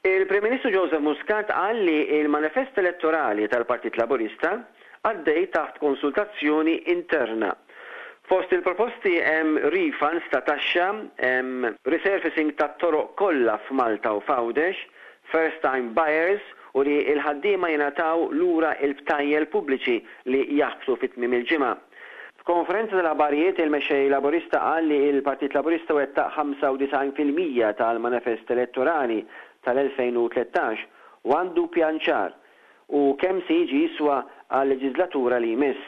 Il-Prim Ministru Joseph Muscat qal li l-manifest elettorali tal-Partit Laburista għaddej taħt konsultazzjoni interna. Fost il-proposti hemm refunds ta' taxxa, hemm resurfacing tat-toroq kollha f'Malta u f'Għawdex, first time buyers u li l-ħaddiema jingħataw lura l-btajjel pubbliċi li jaħbtu fi tmiem il-ġimgħa. F'konferenza tal-aħbarijiet il-Mexxej Laburista qal li l-Partit Laburista wettaq 95% tal-manifest elettorali tal-2013 u għandu pjan ċar u kemm se jiġi jiswa għal-leġiżlatura li jmiss.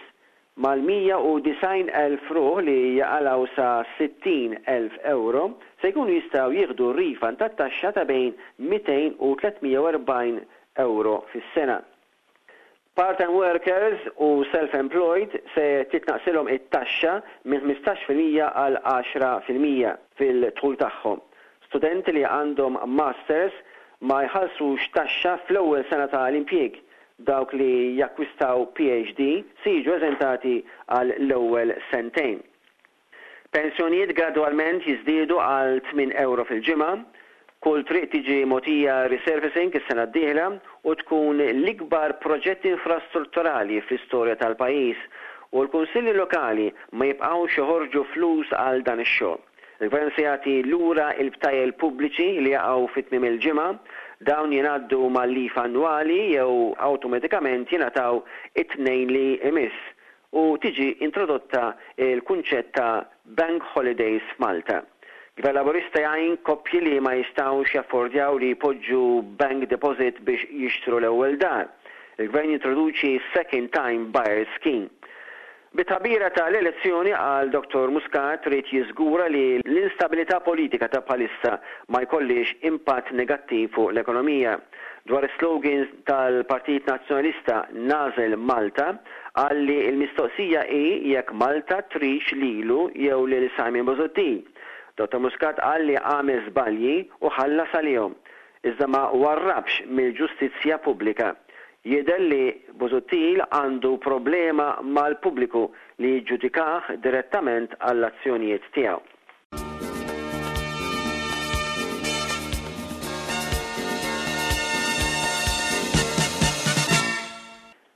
Mal-190,000 ruħ li jaqalgħu sa 60,000 ewro se jkunu jistgħu jieħdu refund tat-taxxa ta' bejn 200 u 340 ewro fis-sena. Part-time workers u self-employed se titnaqqsilhom it-taxxa minn 15% għal 10% fil-dħul tagħhom. Studenti li għandhom masters ma jħallsux taxxa fl-ewwel sena ta' l-impjieg. Dawk li jakkwistaw PhD se jiġu eżentati għal l-ewwel sentejn. Pensjonijiet gradwalment jiżdiedu għal tminn ewro fil-ġimgħa. Kull triq tiġi mogħtija resurfacing is-sena d-dieħla u tkun l-ikbar proġett infrastrutturali fl-istorja tal-pajjiż u l-kunsilli lokali ma jibqgħux joħorġu flus għal dan ix-xogħol. Il-Gvern se jagħti lura l-btajjel pubbliċi li jaqgħu fi tmiem il-ġimgħa. Dawn jingħaddu mal-leave annwali jew awtomatikament jingħataw it-Tnejn li jmiss. u tiġi introdotta l-kunċett ta' bank holidays f'Malta. Gvern Laburista jgħin koppji li ma jistgħux jaffordjaw li jpoġġu bank deposit biex jixtru l-ewwel dar. Il-Gvern jintroduċi second time buyers scheme. Bi tħabbira ta' l-elezzjoni, qal Dottor Muscat, ried jiżgura li l-instabilità politika ta' bħalissa ma jkollhiex impatt negattiv fuq l-ekonomija. Dwar is-slogans tal-Partit Nazzjonalista Nagħżel Malta, qal li l-mistoqsija hi jekk Malta tridx lilu jew lil Simon Busuttil. Dottor Muscat qal li għamel żbalji u ħallas għalihom, iżda ma warrabx mill-ġustizzja pubblika. Jidher li Busuttil għandu problema mal-pubbliku li jiġġudikah direttament għall-azzjonijiet tiegħu.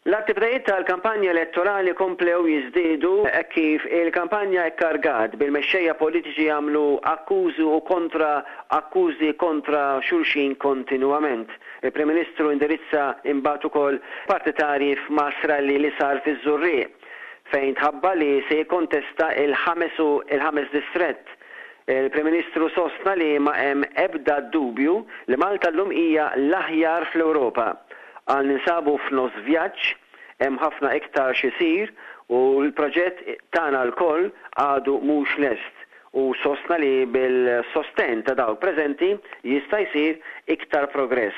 L-attivitajiet tal-kampanja elettorali komplew jiżdiedu hekk kif il-kampanja kkargat bil-mexxejja politiċi jagħmlu akkużi u kontra akkużi kontra xulxin kontinwament. Il-Prim Ministru indirizza imbagħad ukoll partitarji f'mass rally li sar fiż-Żurrieq. fejn tħabbar li se jikkontesta l-ħames u l-ħames distrett. Il-Prim Ministru sostna li ma hemm ebda dubju li Malta llum hija l-aħjar fl-Ewropa. Qal ninsabu f'nofs vjaġġ, hemm ħafna iktar x'isir u l-proġett tagħna lkoll għadu mhux lest u sostna li bil-sostenn ta' dawk preżenti jista' jsir iktar progress.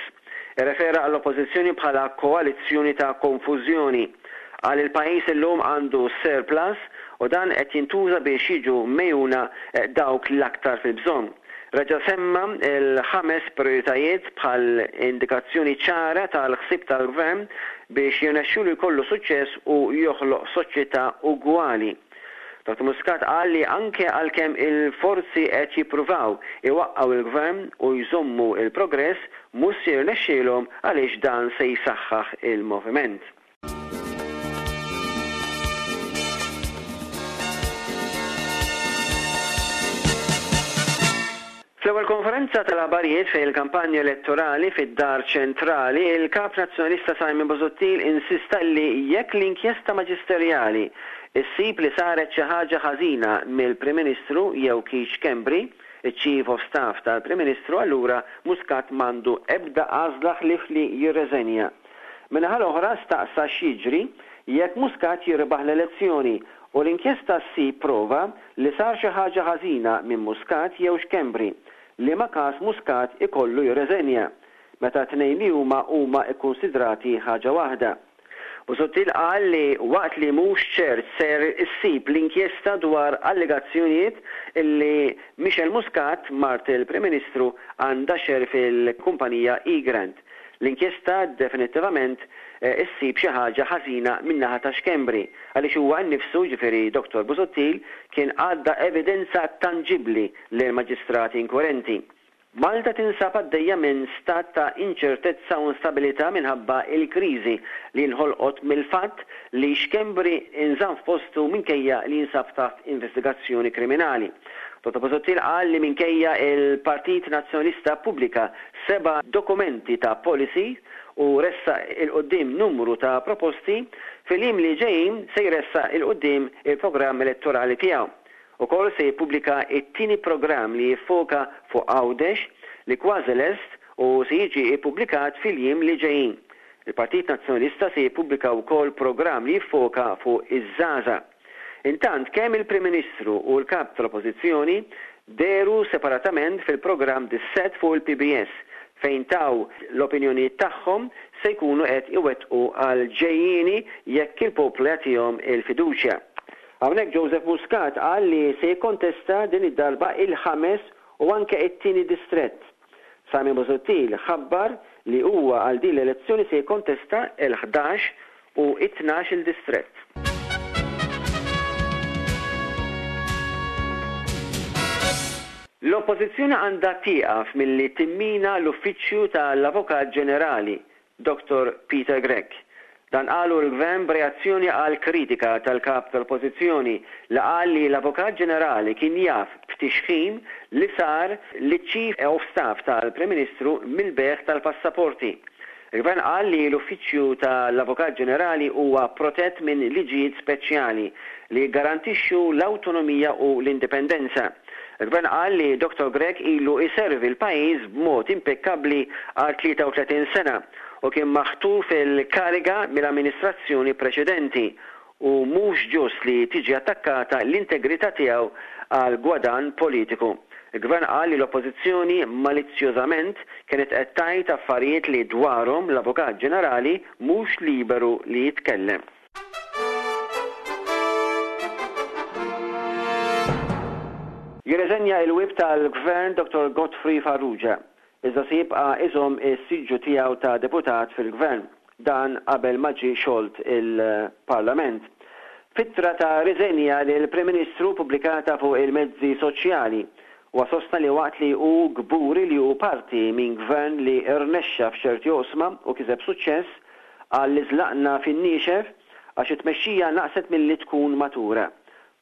Irrefera għall-Oppożizzjoni bħala koalizzjoni ta' konfużjoni. Qal il-pajjiż illum għandu surplus u dan qed jintuża biex jiġu megħjuna dawk l-aktar fil-bżonn. Reġa' semma l-ħames prijoritajiet bħal indikazzjoni ċara tal-ħsieb tal-Gvern biex jirnexxilu jkollu suċċess u joħloq soċjetà ugwali. Dottor Muscat qal li anke għalkemm il-forzi qed jippruvaw iwaqqgħu l-Gvern u jżommu l-progress, mhux se jirnexxielhom għaliex dan se jsaħħaħ il-moviment. Fl-ewwel konferenza tal-aħbarijiet fejn il-kampanja elettorali fid-Dar Ċentrali, il-Kap Nazzjonalista Simon Busuttil insista li jekk l-inkjesta maġisterjali ssib li saret xi ħaġa ħażina mill-Prim Ministru jew Keith Schembri, iċ-Chief of Staff tal-Prim Ministru allura Muscat m'għandu ebda għażla ħlief li jirreżenja. Min-naħa l-oħra staqsa x'jiġri jekk Muscat jirbaħ l-elezzjoni u l-inkjesta ssib prova li sar xi ħaġa ħażina minn Muscat jew Schembri, liema każ Muscat ikollu jirreżenja, meta t-tnejn li huma huma kkunsidrati ħaġa waħda. Busuttil qal li waqt li mhux ċert ser issib l-inkjesta dwar allegazzjonijiet li Michelle Muscat, mart il-Prim Ministru, għandha share fil-kumpanija Egrant, l-inkjesta definittivament. issib xi ħaġa ħażina min-naħa ta' Schembri għaliex huwa nnifsu, jiġifieri Dottor Busuttil, kien għadda evidenza tanġibbli lill-maġistrati inkwirenti. Malta tinsab għaddejja minn stat ta' inċertezza u instabilità minħabba l-kriżi li nħolqot mill-fatt li Schembri nżamm f'postu minkejja li jinsab taħt investigazzjoni kriminali. Dottor Busuttil qal li minkejja l-Partit Nazzjonalista ppubblika seba' dokumenti ta' policy u ressaq 'il quddiem numru ta' proposti, fil-jiem li ġejjin se jressaq 'il quddiem il-programm elettorali tiegħu. Ukoll se jippubblika t-tieni programm li jiffoka fuq Għawdex li kważi lest u se jiġi ppubblikat fil-jiem li ġejjin. Il-Partit Nazzjonalista se jippubblika wkoll programm li jiffoka fuq iż-żgħażagħ. Intant kemm il-Prim Ministru u l-Kap tal-Oppożizzjoni dehru separatament fil-programm Dissett fuq il-PBS fejn taw l-opinjonijiet tagħhom se jkunu qed iwettqu għall-ġejjieni jekk il-poplu jagħtihom il-fiduċja. Hawnhekk Joseph Muscat qal li se jikkontesta din id-darba il-ħames u anke it-tieni distrett. Simon Busuttil ħabbar li huwa għal din l-elezzjoni se jikkontesta l-ħdax u it-tnax-il distrett. L-Oppożizzjoni għandha tieqaf milli timmina l-Uffiċċju tal-Avukat Ġenerali Dottor Peter Grech. Dan qalu l-Gvern b'reazzjoni għal kritika tal-Kap tal-Oppożizzjoni li qal li l-Avukat Ġenerali kien jaf b'tixħim li sar liċ-Chief of Staff tal-Prim Ministru mill-bejgħ tal-passaporti. Il-Gvern qal li l-Uffiċċju tal-Avukat Ġenerali huwa protett minn liġijiet speċjali li jiggarantixxu l-awtonomija u l-indipendenza. Il-Gvern qal li Dottor Grech ilu jservi l-pajjiż b'mod impekkabbli għal 33 sena u kien maħtur fil-kariga mill-amministrazzjoni preċedenti u mhux ġust li tiġi attakkata l-integrità tiegħu għal gwadann politiku. Il-Gvern qal li l-Oppożizzjoni malizzjożament kienet qed tgħid affarijiet li dwarhom l-Avukat Ġenerali mhux liberu li jitkellem. Jirreżenja il-Whip tal-Gvern Dottor Godfrey Farrugia, iżda se jibqa' iżomm is-siġġu tiegħu ta' deputat fil-Gvern. Dan qabel ma ġie xolt il-Parlament. F'ittra ta' riżenja lill-Prim Ministru pubblikata fuq il-mezzi soċjali, huwa sostna li waqt li hu kburi li hu parti minn Gvern li rnexxa f'ċerti oqsma u kiseb suċċess, Qal li żlaqna fin-niexef għax it-tmexxija naqset milli tkun matura.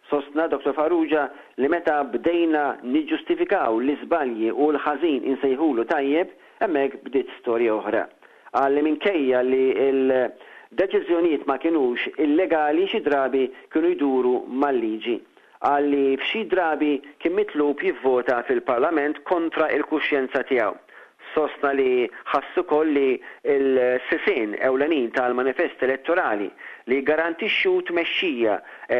Sostna Dottor Farrugia li meta bdejna niġġustifikaw l-iżbalji u l-ħażin insejħulu tajjeb, hemmhekk bdiet storja oħra. Qal li minkejja li l-deċiżjonijiet ma kinux illegali xi drabi kienu jduru mal-liġi. Qal li f'xi drabi kien mitlub jivvota fil-Parlament kontra l-kuxjenza tiegħu. Sostna li ħass ukoll li l-sisien ewlenin tal-manifest elettorali li jiggarantixxu tmexxija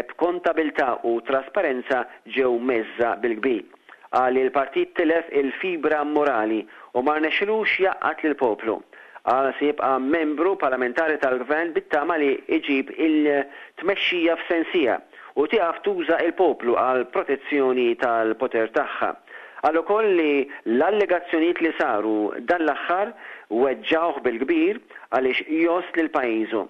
b'kontabilità u trasparenza ġew mheżża bil-kbir. Qal li l-partit tilef il-fibra morali u ma rnexxilux jgħaqqad lill-poplu. Qal se jibqa' membru parlamentari tal-Gvern bit-tama li jġib il-tmexxija f'sensiha u tieqaf tuża l-poplu għall-protezzjoni tal-poter tagħha. Qal ukoll li l-allegazzjonijiet li saru dan l-aħħar weġġgħuh bil-kbir għaliex jgħożż lil pajjiżu.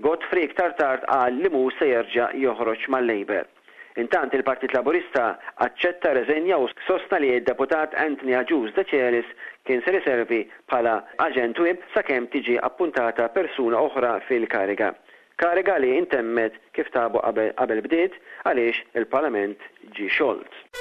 Godfrey iktar tard qal li mhux se jerġa' joħroġ mal-Labour. Intant il-Partit Laburista aċċetta r-reżenja u sostna li d-Deputat Anthony Agius Decelis kien ser iservi bħala aġent whip sakemm tiġi appuntata persuna oħra fil-kariga. Kariga li intemmet kif tabu qabel bdiet għaliex il-Parlament ġie xolt.